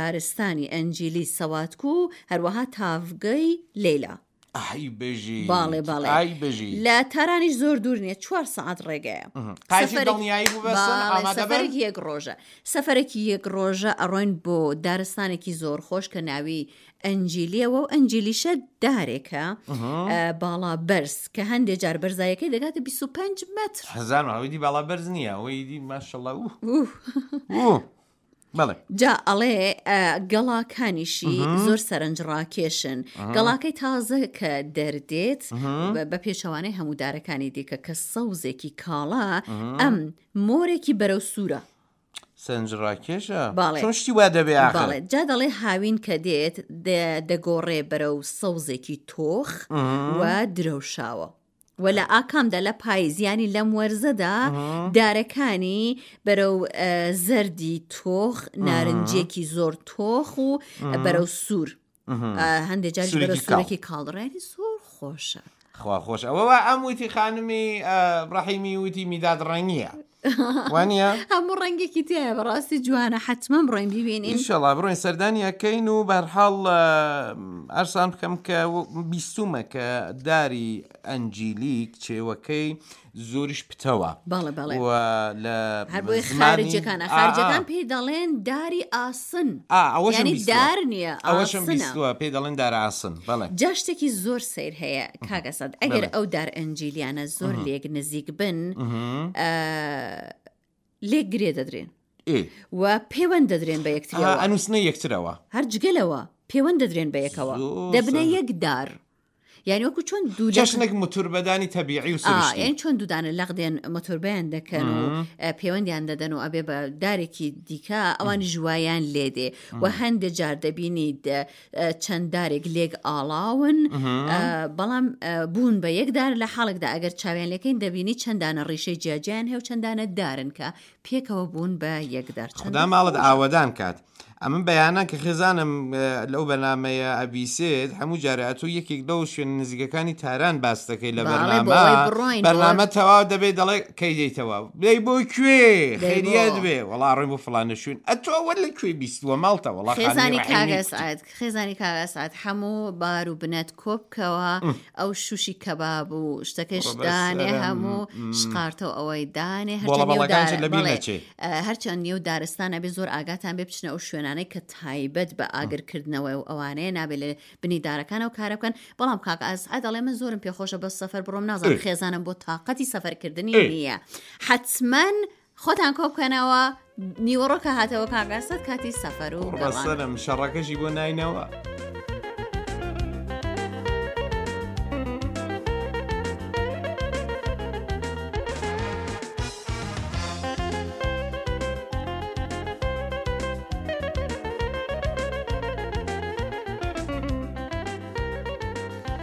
دارستانی ئەنجیلی سەواتکو و هەروەها تاڤگەی لەیلا. ئای بژیت باڵێ باڵێ ئای بژیت. لە تارانیش زۆر دوور نییە چوار سەعات ڕێگەیە. قایشی سەفەرێک دڵنیایی بوو بەسن باڵێ ئامادە بن. سەفەرێکی یەک ڕۆژە سەفەرێکی یەک ڕۆژە ئەڕۆین بۆ دارستانێکی زۆر خۆش کە ناوی ئەنجیلیەوە و ئەنجیلیشە دارێکە باڵا بەرز کە هەندێ جار بەرزایەکەی دەگاتە 25 مەتر. هەزار ئەوەی دی باڵا بەرز نییە ئەوەی دی ماشەڵڵا ئوه ئوه. ئوه. بەڵێ. جا ئەڵێ گەڵاکانیشی زۆر سەرنج ڕاکێشن گەڵاکەی تازە کە دەردێت بە پێچەوانەی هەموو دارەکانی دیکە کە سەوزێکی کاڵا ئەم مۆرێکی بەرەو سوورە. سەرنج ڕاکێشە باڵێ. چۆن شتی وا دەبێ ئاخر بەڵێ جا دەڵێ هاوین کە دێت دەگۆڕێ بەرەو سەوزێکی تۆخ و درەوشاوە. و لە ئاکامدا لە پاییز یانی لەم وەرزەدا دارەکانی بەرەو زەردی تۆخ نارنجێکی زۆر تۆخ و بەرەو سوور هەندێک جار بەرەو سوورێکی کاڵڕێنی زۆر خۆشە. خوا خۆش ئەوە وا ئەم وتی خانمی ڕەحیمی وتی میداد ڕەنگیە وانە هەموو ڕەنگێکی تایە بەڕاستی جوانە حتمما بڕۆین بیبینین ئینشەڵا بڕۆین سەردانی ئەکەین و بەرحاڵ ئەرسان بکەم کە بیستومە کە داری ئەنجیلی کچێوەکەی زۆریش پتەوە بەڵێ بەڵێ و لە هەر بۆیە زمانی- خارجەکان ئا، خارجەکان ئا. پێی دەڵێن داری ئاسن ئا، ئەوەشم یعنی بیستووە. دار نییە ئەوەشم ئاسنە. بیستووە پێی دەڵێن دار ئاسن بەڵێ جا شتێکی زۆر سەیر هەیە کاک ئەسەد ئەگەر بەڵێ. ئەو دار ئەنجیلیانە زۆر لێک نزیک بن ئە، لێک گرێ دەدرێن ئێ و پێوەند دەدرێن بە ئا، یەکتریەوە ئەنووسنە یەکترەوە هەر جگە لەوە پێوەند دەدرێن بە یەکەوە زۆر دەبنە سەیر. یەک دار یانی وەکو چۆن دوو چەشنێک موتوربەدانی تەبیعی و سروشتی. یانی چۆن دوودانە لەق دێن مۆتۆربیان دەکەن و پەیوەندیان دەدەن و ئەبێ بە دارێکی دیکە ئەوان ژوایان لێدێ و هەندێک جار دەبینی چەند دارێک لێک ئاڵاون بەڵام بوون بە یەک دار لە حاڵێکدا ئەگەر چاویان لەکەین دەبینی چەندانە ڕیشەی جیاجیان هەیە و چەندانە دارن کە پێکەوە بوون بە یەک دار. خودا ماڵت ئاوەدان کات. ئەمن بەیانان کە خێزانم لەو بەرنامەیە ئەبیسێت هەموو جارێ ئەتۆ یەکێک لەو شوێنە نزیکەکانی تاران باس دەکەی لە بەرنامە بەرنامە تەواو دەبێت دەڵێ کەی دێیتەوە دەی بۆ کوێ خێریەت بێ وەڵا ڕۆین بۆ فڵانە شوێن ئەتۆ ئەوە لە کوێ بیستووە ماڵتە وەڵا خێزانی کاک ئەسعەد خێزانی کاک ئەسعەد هەموو بار و بنەت کۆ بکەوە ئەو شوشی کەباب و شتەکەش دانێ هەموو شقارتە و ئەوەی دانێ هەرچەند نێو دارستان ئەبێ زۆر ئاگاتان بێ بچنە ئەو شوێنانەی کە تایبەت بە ئاگرکردنەوە و ئەوانەیە نابێت لە بنی دارەکان ئەو کارە بکەن بەڵام کاک ئەسعەد ئەڵێ من زۆرم پێخۆشە بەس سەفەر بڕۆم نازانم خێزانم بۆ تاقەتی سەفەرکردنی نییە حتمما خۆتان کۆ بکەنەوە نیوەڕۆ کە هاتەوە کاک ئەسعەد کاتی سەفەر و گەڕان. قوڕبەسەرم شەڕەکەشی بۆ ناینەوە.